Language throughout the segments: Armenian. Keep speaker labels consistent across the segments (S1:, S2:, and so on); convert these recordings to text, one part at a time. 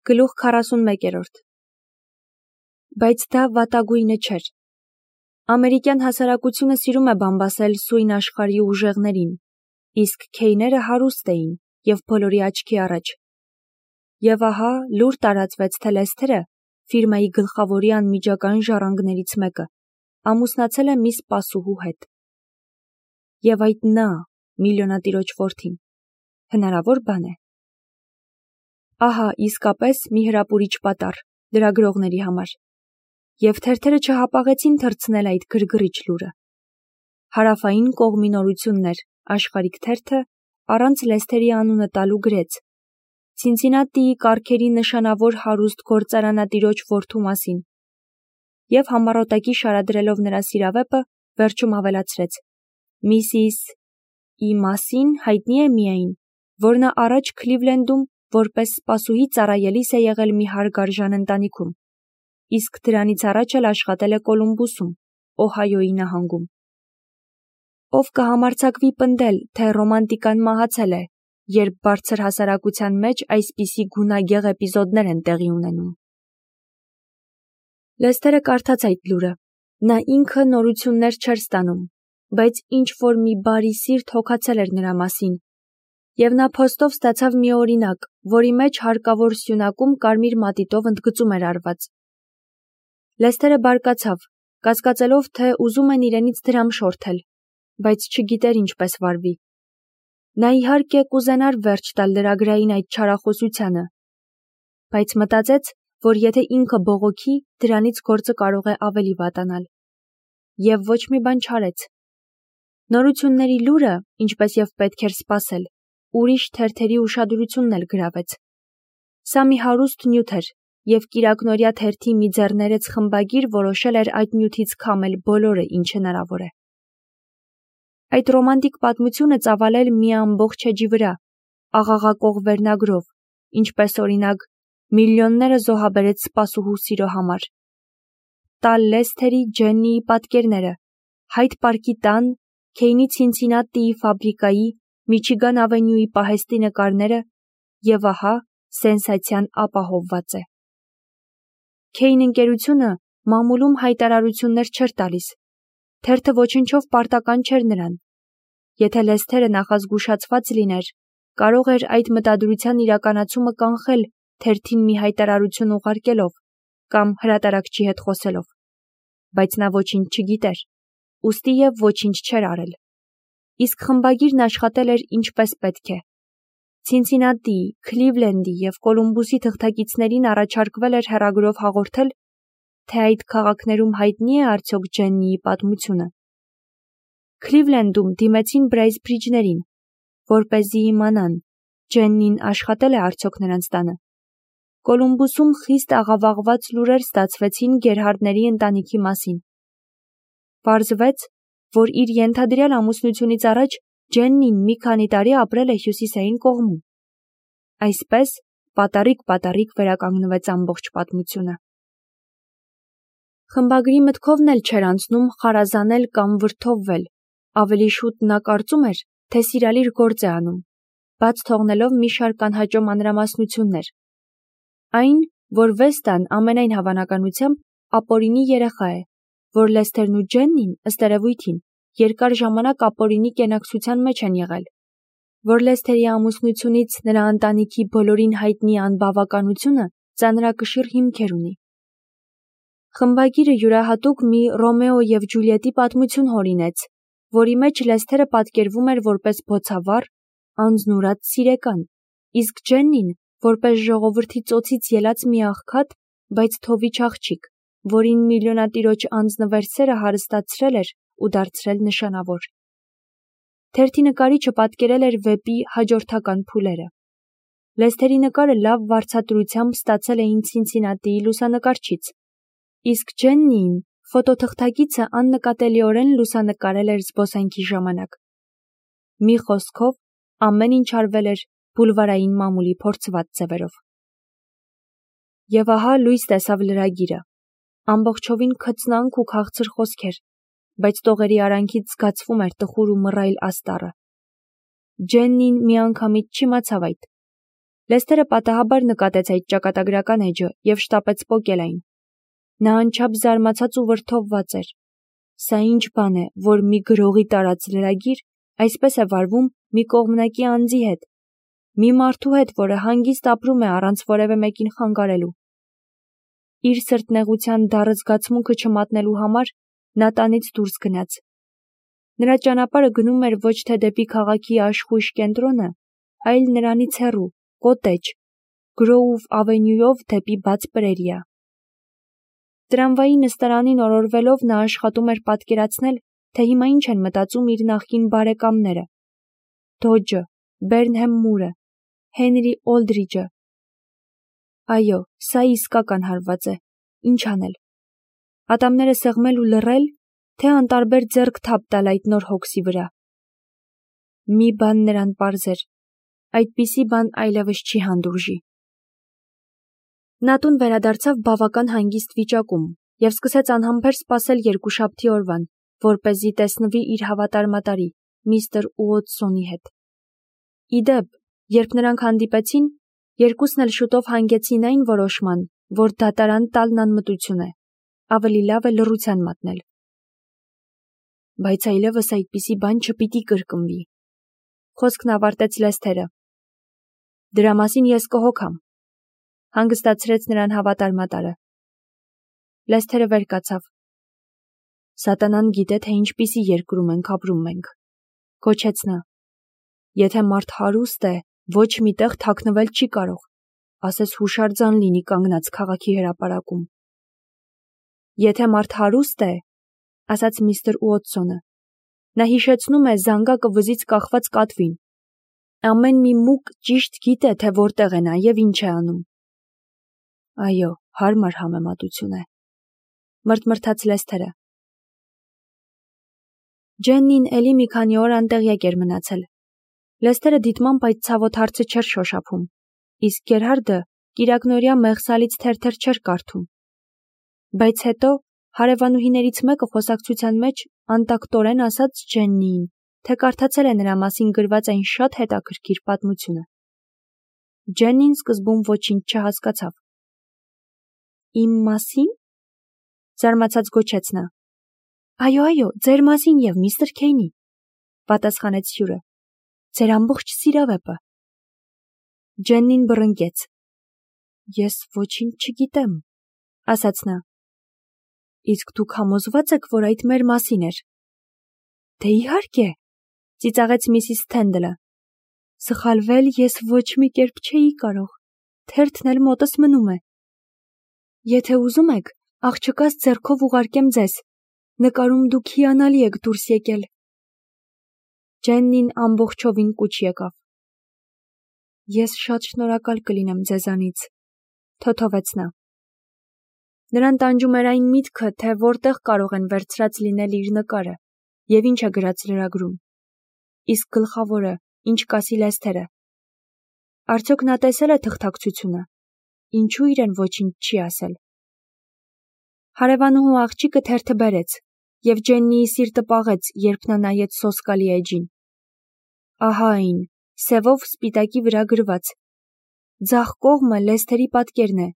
S1: Գլուխ 41 Բայց դա վատագույնը չէր։ Ամերիկյան հասարակությունը սիրում է բամբասել սույն աշխարհի ուժեղներին, իսկ քեյները հարուստ էին և բոլորի աչքի առաջ։ Եվ ահա լուր տարածվեց, թե Լեսթերը, ֆիրմայի գլխավորի անմիջական ժառանգներից մեկը, ամուսնացել է մի սպասուհու հետ։ Եվ այդ նա, միլիոնատիրոջ որդին, հնարավոր բան է։ Ահա իսկապես մի հրապուրիչ պատառ լրագրողների համար, և թերթերը չհապաղեցին թռցնել այդ գրգռիչ լուրը։ Հարավային կողմի նորություններ աշխարհիկ թերթը առանց Լեսթերի անունը տալու գրեց. Ցինցինատիի կառքերի նշանավոր հարուստ գործարանատիրոջ որդու մասին, և համառոտակի շարադրելով նրա սիրավեպը, վերջում ավելացրեց. Միսիս E. մասին հայտնի է միայն, որ նա առաջ Քլիվլենդում որպես սպասուհի ծառայելիս է եղել մի հարգարժան ընտանիքում, իսկ դրանից առաջ էլ աշխատել է Կոլումբուսում, Օհայոյի նահանգում։ Ով կհամարձակվի պնդել, թե ռոմանտիկան մահացել է, երբ բարձր հասարակության մեջ այսպիսի գունագեղ էպիզոդներ են տեղի ունենում։ Լեսթերը կարդաց այդ լուրը։ Նա ինքը նորություններ չէր ստանում, բայց ինչ-որ մի բարի սիրտ հոգացել էր նրա մասին, և նա փոստով ստացավ մի օրինակ, որի մեջ հարկավոր սյունակում կարմիր մատիտով ընդգծում էր արված։ Լեսթերը բարկացավ, կասկածելով, թե ուզում են իրենից դրամ շորթել, բայց չգիտեր ինչպես վարվի։ Նա իհարկե կուզենար վերջ տալ լրագրային այդ չարախոսությանը, բայց մտածեց, որ եթե ինքը բողոքի, դրանից գործը կարող է ավելի վատանալ։ Եվ ոչ մի բան չարեց։ Նորությունների լուրը, ինչպես և պետք էր սպասել, ուրիշ թերթերի ուշադրությունն էլ գրավեց։ Սա մի հարուստ նյութ էր, և կիրակնօրյա թերթի մի ձեռներեց խմբագիր որոշել էր այդ նյութից քամել բոլորը, ինչ հնարավոր է։ Այդ ռոմանտիկ պատմությունը ծավալել մի ամբողջ էջի վրա, աղաղակող վերնագրով, ինչպես օրինակ միլիոնները զոհաբերեց սպասուհու սիրո համար։ Տալ Լեսթերի Ջեննիի պատկերները, Հայդ պարկի տան, Քեյնի Ցինցինատիի ֆաբրիկայի, Միչիգան ավենյուի պահեստի նկարները, և ահա սենսացիան ապահովված է։ Քեյն ընկերությունը մամուլում հայտարարություններ չէր տալիս, թերթը ոչնչով պարտական չէր նրան։ Եթե Լեսթերը նախազգուշացված լիներ, կարող էր այդ մտադրության իրականացումը կանխել թերթին մի հայտարարություն ուղարկելով կամ հրատարակչի հետ խոսելով, բայց նա ոչինչ չգիտեր, ուստի և ոչինչ չէր արել։ Իսկ խմբագիրն աշխատել էր ինչպես պետք է։ Ցինցինատիի, Քլիվլենդի և Կոլումբուսի թղթակիցներին առաջարկվել էր հեռագրով հաղորդել, թե այդ քաղաքներում հայտնի է արդյոք Ջեննիի պատմությունը։ Քլիվլենդում դիմեցին Բրեյսբրիջներին, որպեսզի իմանան, Ջեննին աշխատել է արդյոք նրանց տանը։ Կոլումբուսում խիստ աղավաղված լուրեր ստացվեցին Գերհարդների ընտանիքի մասին։ Պարզվեց, որ իր ենթադրյալ ամուսնությունից առաջ Ջեննին մի քանի տարի ապրել է հյուսիսային կողմում։ Այսպես պատառիկ վերականգնվեց ամբողջ պատմությունը։ Խմբագրի մտքովն էլ չէր անցնում խարազանել կամ վրդովվել, ավելի շուտ նա կարծում էր, թե սիրալիր գործ է անում, բաց թողնելով մի շարք անհաճո մանրամասնություններ։ Այն, որ Վեստան ամենայն հավանականությամբ ապօրինի երեխա է, որ Լեսթերն ու Ջեննին, ըստ երևույթին, երկար ժամանակ ապօրինի կենակցության մեջ են եղել, որ Լեսթերի ամուսնությունից նրա ընտանիքի բոլորին հայտնի անբավականությունը ծանրակշիռ հիմքեր ունի։ Խմբագիրը յուրահատուկ մի Ռոմեո և Ջուլիետի պատմություն հորինեց, որի մեջ Լեսթերը պատկերվում էր որպես բոցավառ, անձնուրաց սիրեկան, իսկ Ջեննին որպես ժողովրդի ծոցից ելած մի աղքատ, բայց թովիչ աղջիկ, որին միլիոնատիրոջ անձնվերսերը հարստացրել էր ու դարձրել նշանավոր։ Թերթի նկարիչը պատկերել էր վեպի հաջորդական փուլերը։ Լեսթերի նկարը լավ վարձատրությամբ ստացել էին Ցինցինատիի լուսանկարչից, իսկ Ջեննիին ֆոտոթղթակիցը աննկատելիորեն լուսանկարել էր զբոսանքի ժամանակ։ Մի խոսքով, ամեն ինչ արվել էր բուլվարային մամուլի փորձված ձևերով։ Եվ ահա լույս տեսավ լրագիրը։ Ամբողջովին քծնանք ու քաղցր խոսքեր, բայց տողերի արանքից զգացվում էր տխուր ու մռայլ աստառը։ Ջեննին միանգամից չիմացավ այդ, Լեսթերը պատահաբար նկատեց այդ ճակատագրական էջը և շտապեց պոկել այն։ Նա անչափ զարմացած ու վրդովված էր։ Սա ինչ բան է, որ մի գրողի տարած լրագիր այսպես է վարվում մի կողմնակի անձի հետ, մի մարդու հետ, որը հանգիստ ապրում է առանց որևէ մեկին խանգարելու։ Իր սրտնեղության դառը զգացմունքը չմատնելու համար նա տանից դուրս գնաց։ Նրա ճանապարհը գնում էր ոչ թե դեպի քաղաքի աշխույժ կենտրոնը, այլ նրանից հեռու, կոտեջ, Գրոուվ ավենյուով դեպի բաց պրերիա։ Տրամվայի նստարանին օրորվելով նա աշխատում էր պատկերացնել, թե հիմա ինչ են մտածում իր նախկին բարեկամները։ Դոջը, Բերնհեմ Մուրը, Հենրի Օլդրիջը։ Այո, սա իսկական հարված է։ Ինչ անել։ Ատամները սեղմել ու լռել, թե անտարբեր ձեռք թափ տալ այդ նոր հոգսի վրա։ Մի բան նրան պարզ էր. այդպիսի բան այլևս չի հանդուրժի։ Նա տուն վերադարձավ բավական հանգիստ վիճակում և սկսեց անհամբեր սպասել երկուշաբթի օրվան, որպեսզի տեսնվի իր հավատարմատարի, միստր Ուոտսոնի հետ։ Ի դեպ, երբ նրանք հանդիպեցին, երկուսն էլ շուտով հանգեցին այն որոշման, որ դատարան տալն անմտություն է, ավելի լավ է լռության մատնել։ Բայց այլևս այդպիսի բան չպիտի կրկնվի։ Խոսքն ավարտեց Լեսթերը։ Դրա մասին ես կհոգամ, հանգստացրեց նրան հավատարմատարը։ Լեսթերը վեր կացավ։ Սատանան գիտե, թե ինչպիսի երկրում ենք ապրում մենք, գոչեց նա։ Եթե մարդ հարուստ է, ոչ միտեղ թաքնվել չի կարող, ասես հուշարձան լինի կանգնած քաղաքի հրապարակում։ Եթե մարդ հարուստ է, ասաց միստր Ուոտսոնը, նա հիշեցնում է զանգակը վզից կախված կատվին։ Ամեն մի մուկ ճիշտ գիտե, թե որտեղ է նա և ինչ է անում։ Այո, հարմար համեմատություն է, մրթմրթաց Լեսթերը։ Ջեննին էլի մի քանի օր անտեղյակ էր մնացել։ Լեսթերը դիտմամբ այդ ցավոտ հարցը չէր շոշափում, իսկ Գերհարդը կիրակնօրյա մեղսալից թերթեր չէր կարդում։ Բայց հետո հարևանուհիներից մեկը խոսակցության մեջ անտակտորեն ասաց Ջեննիին, թե կարդացել է նրա մասին գրված այն շատ հետաքրքիր պատմությունը։ Ջեննին սկզբում ոչինչ չհասկացավ։ Իմ մասին? Զարմացած գոչեց նա։ Այո, ձեր մասին և միստր Քեյնի, պատասխանեց հյուրը։ Ձեր ամբողջ սիրավեպը։ Ջեննին բռնկեց։ Ես ոչինչ չգիտեմ, ասաց նա։ Իսկ դուք համոզված եք, որ այդ մեր մասին էր։ Դե իհարկե, ծիծաղեց միսիս Սթենդլը։ Սխալվել ես ոչ մի կերպ չէի կարող, թերթն էլ մոտս մնում է։ Եթե ուզում եք, աղջկաս ձեռքով ուղարկեմ ձեզ, նկարում դուք հիանալի եք դուրս եկել։ Ջեննին ամբողջովին կուչ եկավ։ Ես շատ շնորհակալ կլինեմ ձեզանից, թոթովեց նա։ Նրան տանջում էր այն միտքը, թե որտեղ կարող են վերցրած լինել իր նկարը և ինչ է գրած լրագրում։ Իսկ գլխավորը, ինչ կասի Լեսթերը։ Արդյոք նա տեսել է թղթակցությունը։ Ինչու իրեն ոչինչ չի ասել։ Հարևանուհու աղջիկը թերթը բերեց, և Ջեննիի սիրտը պաղեց, երբ նա նայեց սոսկալի էջին։ Ահա այն, սևով սպիտակի վրա գրված։ Ձախ կողմը Լեսթերի պատկերն է,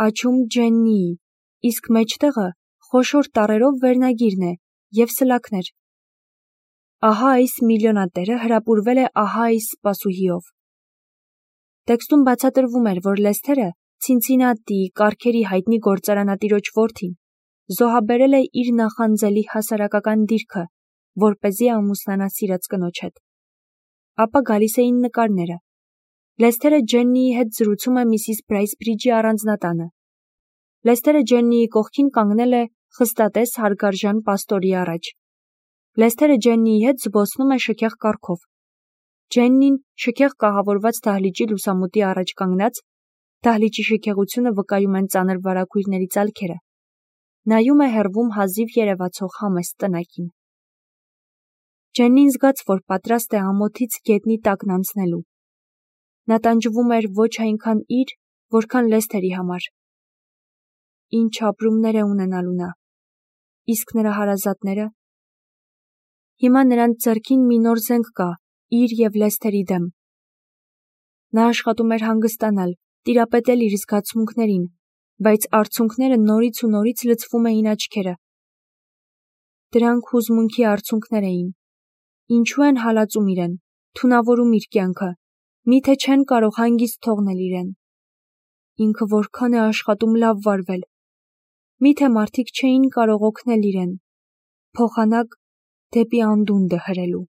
S1: աջ-ում Ջեննիի, իսկ մեջտեղը խոշոր տառերով վերնագիրն է և սլաքներ։ Ահա այս միլիոնատերը հրապուրվել է ահա այս սպասուհիով։ Տեքստում բացատրվում էր, որ Լեսթերը Ցինցինատիի կառքերի հայտնի գործարանատիրոջ որդին զոհաբերել է իր նախանձելի հասարակական դիրքը, որպեսզի ամուսնանա սիրած կնոջ հետ։ Ապա գալիս էին նկարները։ Լեսթերը Ջեննիի հետ զրուցում է միսիս Բրայսբրիջի առանձնատանը։ Լեսթերը Ջեննիի կողքին կանգնել է խստատես հարգարժան պաստորի առաջ։ Լեսթերը Ջեննիի հետ զբոսնում է շքեղ կառքով։ Ջեննին շքեղ կահավորված դահլիճի լուսամուտի առաջ կանգնած, դահլիճի շքեղությունը վկայում են ծանր վարագույրների ծալքերը, նայում է հեռվում հազիվ երևացող համեստ տնակին։ Ջեննին զգաց, որ պատրաստ է ամոթից գետնի տակն անցնելու։ Նա տանջվում էր ոչ այնքան իր, որքան Լեսթերի համար։ Ինչ ապրումներ է ունենալու նա։ Իսկ նրա հարազատները։ Հիմա նրանց ձեռքին մի նոր զենք կա իր և Լեսթերի դեմ։ Նա աշխատում էր հանգստանալ, տիրապետել իր զգացմունքներին, բայց արցունքները նորից ու նորից լցվում էին աչքերը։ Դրանք հուզմունքի արցունքներ էին։ Ինչու են հալածում իրեն, թունավորում իր կյանքը, միթե չեն կարող հանգիստ թողնել իրեն։ Ինքը որքան է աշխատում լավ վարվել։ Միթե մարդիկ չէին կարող օգնել իրեն, փոխանակ դեպի անդունդը հրելու։